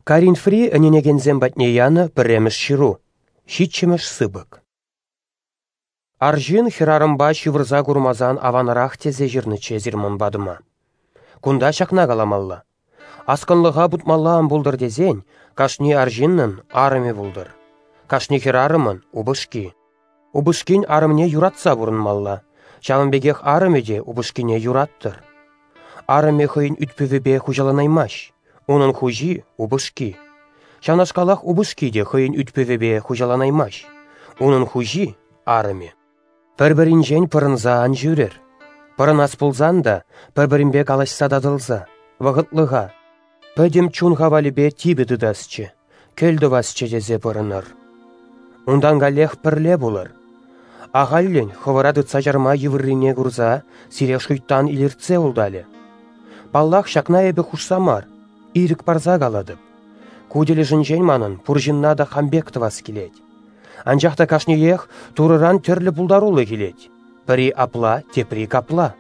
Коринфри ӗненекенсем патне янӑ пӗрремӗш ҫыру, ҫиччӗмӗш сыпӑк. Арҫын хӗрарӑмпа ҫывӑрса курмасан аванрах тесе ҫырнӑччӗ эсир ман патӑма. Кунта ҫакна каламалла. Аскӑнлӑха путмалла ан пултӑр тесен кашни арҫыннӑн арӑмӗ пултӑр, кашни хӗрарӑмӑн упӑшки. Упӑшкин арӑмне юратса пурӑнмалла, ҫавӑн пекех арӑмӗ те упӑшкине юраттӑр. Арӑмӗ хӑйӗн ӳт-пӗвӗпе хуҫаланаймасть, унӑн хуҫи – упӑшки. Ҫавнашкалах упӑшки те хӑйӗн ӳт-пӗвӗпе хуҫаланаймасть, унӑн хуҫи – арӑмӗ. Пӗр-пӗринчен пӑрӑнса ан ҫӳрӗр. Пӑрӑнас пулсан та пӗр-пӗринпе калаҫса татӑлса, вӑхӑтлӑха, пӗтӗм чун хавалӗпе типӗ тытасчӗ, кӗл тӑвасчӗ тесе пӑрӑнӑр. Унтан каллех пӗрле пулӑр. Ахальлӗн хӑвӑра тытса чарма йывӑррине курса сире шуйттан илӗртсе улталӗ. Паллах, ҫакна эпӗ хушса мар, ирӗк парса калатӑп. Ку тӗлӗшӗнчен манӑн пур ҫынна та хам пек тӑвас килет. Анчах та кашниех Турӑран тӗрлӗ пултарулӑх илет. Пӗри апла, тепри капла.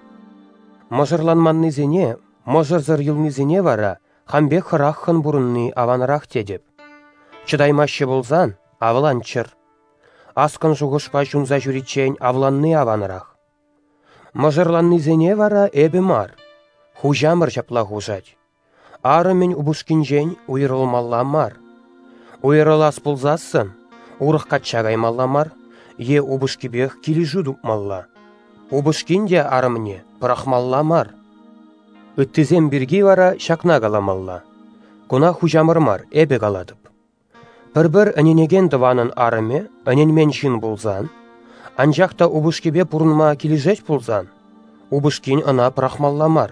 Мӑшӑрланманнисене, мӑшӑрсӑр юлнисене вара хам пек хӑраххӑн пурӑнни аванрах тетӗп. Чӑтаймаҫҫӗ пулсан, авланччӑр. Аскӑн шухӑшпа ҫунса ҫӳриччен авланни аванрах. Мӑшӑрланнисене вара эпӗ мар, хуҫамӑр ҫапла хушать. Арӑмӗн упӑшкинчен уйрӑлмалла мар. Уйрӑлас пулсассӑн урӑх качча каймалла мар е упӑшкипех килӗшӳ тупмалла. Упӑшкин те арӑмне пӑрахмалла мар. Ыттисем пирки вара ҫакна каламалла. Куна хуҫамӑр мар, эпӗ калатӑп. Пӗр-пӗр ӗненекен тӑванӑн арӑмӗ ӗненмен ҫын пулсан, анчах та упӑшкипе пурӑнма килӗшет пулсан, упӑшкин ӑна пӑрахмалла мар.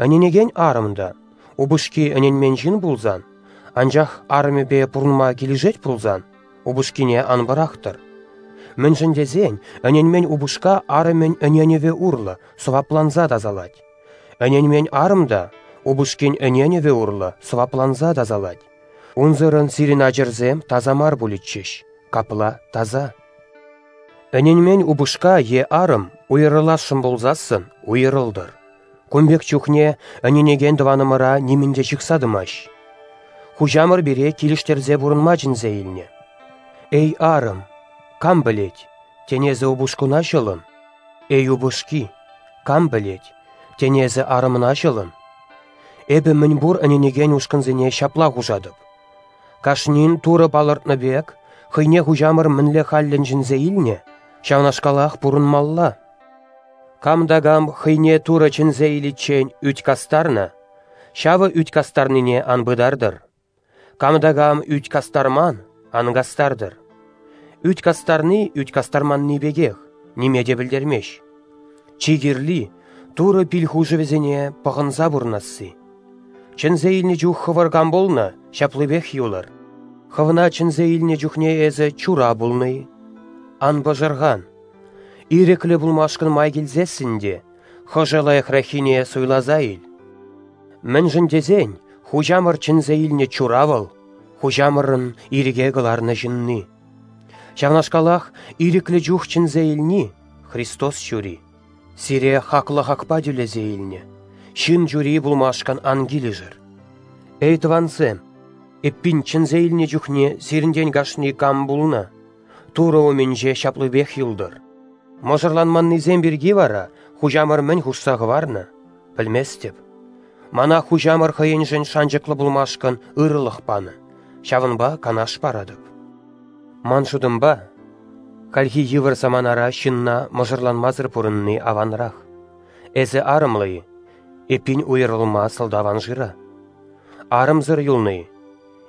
Ӗненекен арӑм та упӑшки ӗненмен ҫын пулсан, анчах арӑмӗпе пурӑнма килӗшет пулсан, упӑшкине ан пӑрахтӑр. Мӗншӗн тесен ӗненмен упӑшка арӑмӗн ӗненӗвӗ урлӑ сӑвапланса тасалать. Ӗненмен арӑм та упӑшкин ӗненӗвӗ урлӑ сӑвапланса тасалать. Унсӑрӑн сирӗн ачӑрсем таса мар пулӗччӗҫ, капла таса. Ӗненмен упӑшка е арӑм уйрӑласшӑн пулсассӑн уйрӑлтӑр. Кун пек чухне ӗненекен тӑванӑмӑра нимӗн те ҫыхса тӑмасть. Хуҫамӑр пире килӗштерсе пурӑнма чӗнсе илнӗ. Эй, арӑм, кам пӗлет, тен эсӗ упӑшкуна ҫӑлӑн? Эй, упӑшки, кам пӗлет, тен эсӗ арӑмна ҫӑлӑн? Эпӗ мӗнпур ӗненекен ушкӑнсене ҫапла хушатӑп. Кашнин Турӑ палӑртнӑ пек, хӑйне хуҫамӑр мӗнле хальлӗн чӗнсе илнӗ, ҫавнашкалах пурӑнмалла. Кам та кам хӑйне Турӑ чӗнсе иличчен ӳт кастарнӑ, ҫавӑ ӳт кастарнине ан пытартӑр. Кам та кам ӳт кастарман, ан кастартӑр. Ӳт кастарни ӳт кастарманни пекех, ниме те пӗлтермест. Чи кирли — Турӑ пил хушӑвӗсене пӑхӑнса пурӑнасси. Чӗнсе илнӗ чух хӑвӑр кам пулнӑ, ҫаплипех юлӑр. Хӑвна чӗнсе илнӗ чухне эсӗ чура пулнӑ-и? Ан пӑшӑрхан. Ирӗклӗ пулмашкӑн май килсессӗн те хӑшӗ лайӑхраххине суйласа ил. Мӗншӗн тесен хуҫамӑр чӗнсе илнӗ чура вӑл, хуҫамӑрӑн ирӗке кӑларнӑ ҫынни. Ҫавнашкалах ирӗклӗ чух чӗнсе илни Христос чури. Сире хаклӑ хакпа тӳлесе илнӗ, ҫын чури пулмашкӑн ан килӗшӗр. Эй, тӑвансем, эппин чӗнсе илнӗ чухне сирӗнтен кашни кам пулнӑ, Турӑ умӗнче ҫаплипех юлтӑр. Мӑшӑрланманнисем пирки вара хуҫамӑр мӗн хушса хӑварнӑ, пӗлместӗп. Мана хуҫамӑр хӑйӗншӗн шанчӑклӑ пулмашкӑн ырӑлӑх панӑ, ҫавӑнпа канаш паратӑп. Ман шутӑмпа, хальхи йывӑр саманара ҫынна мӑшӑрланмасӑр пурӑнни аванрах. Эсӗ арӑмлӑ-и? Эппин уйрӑлма сӑлтав ан шыра. Арӑмсӑр юлнӑ-и?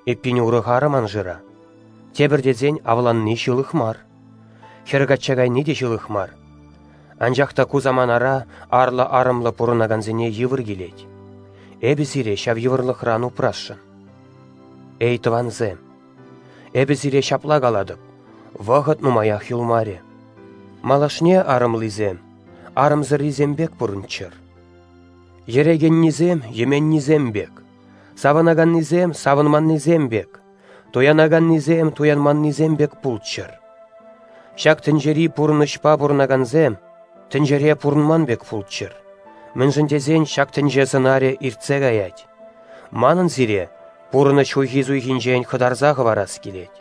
Эппин урӑх арӑм ан шыра. Тепӗр тесен авланни ҫылӑх мар. Хӗр качча кайни те ҫылӑх мар. Анчах та ку саманара арлӑ-арӑмлӑ пурӑнакансене йывӑр килет. Эпӗ сире ҫав йывӑрлӑхран упрасшӑн. Эй, тӑвансем! Эпӗ сире ҫапла калатӑп, вӑхӑт нумаях юлмарӗ. Малашне арӑмлисем арӑмсӑррисем пек пурӑнччӑр. Йӗрекеннисем йӗменнисем пек, савӑнаканнисем савӑнманнисем пек, туянаканнисем туянманнисем пек пулччӑр. Ҫак тӗнчери пурнӑҫпа пурӑнакансем тӗнчере пурӑнман пек пулччӑр. Мӗншӗн тесен ҫак тӗнче сӑнарӗ иртсе каять. Манӑн сире Пурӑнӑҫ хуйхи-суйхинчен хӑтарса хӑварас килет.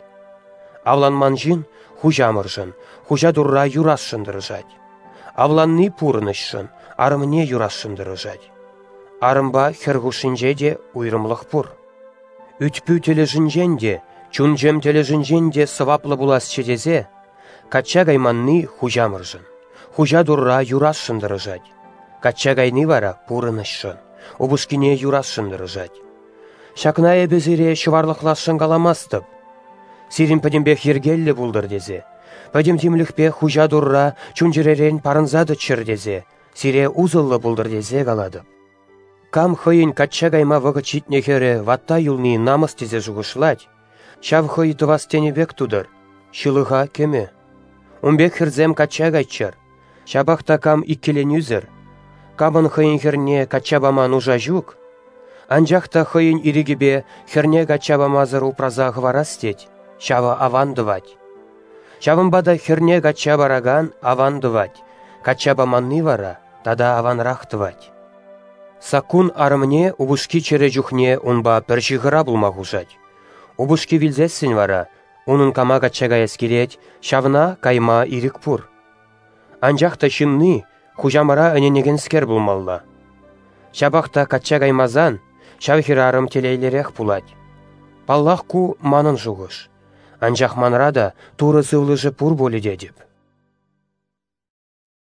Авланман ҫын хуҫамӑршӑн, хуҫа Турра юрасшӑн тӑрӑшать. Авланни пурӑнӑҫшӑн, арӑмне юрасшӑн тӑрӑшать. Арӑмпа хӗр хушшинче те уйрӑмлӑх пур. Ӳт-пӳ тӗлӗшӗнчен те, чун-чӗм тӗлӗшӗнчен те сӑваплӑ пуласчӗ тесе, качча кайманни хуҫамӑршӑн, хуҫа Турра юрасшӑн тӑрӑшать. Качча кайни вара пурӑнӑҫшӑн, упӑшкине юрасшӑн тӑрӑшать. Ҫакна эпӗ сире ҫӑварлӑхласшӑн каламастӑп. Сирӗн пӗтӗмпех йӗркеллӗ пултӑр тесе, пӗтӗм тимлӗхпе хуҫа Турра чун-чӗререн парӑнса тӑччӑр тесе, сире усӑллӑ пултӑр тесе калатӑп. Кам хӑйӗн качча кайма вӑхӑт ҫитнӗ хӗрӗ ватта юлни намӑс тесе шухӑшлать, ҫав хӑй тӑвас тенӗ пек тутӑр, ҫылӑха кӗмӗ. Ун пек хӗрсем качча кайччӑр, ҫапах та кам иккӗленӳсӗр, камӑн хӑйӗн хӗрне качча пама нуша ҫук, анчах та хӑйӗн ирӗкӗпе хӗрне качча памасӑр упраса хӑварас тет, ҫавӑ аван тӑвать. Ҫавӑнпа та хӗрне качча паракан аван тӑвать, качча паманни вара тата аванрах тӑвать. Саккун арӑмне упӑшки чӗрӗ чухне унпа пӗр ҫыхӑра пулма хушать. Упӑшки вилсессӗн вара унӑн кама качча каяс килет, ҫавна кайма ирӗк пур. Анчах та ҫынни хуҫамӑра ӗненекенскер пулмалла. Ҫапах та качча каймасан ҫав хӗрарӑм телейлӗрех пулать. Паллах, ку манӑн шухӑш. Анчах манра та Турӑ сывлӑшӗ пур пулӗ тетӗп.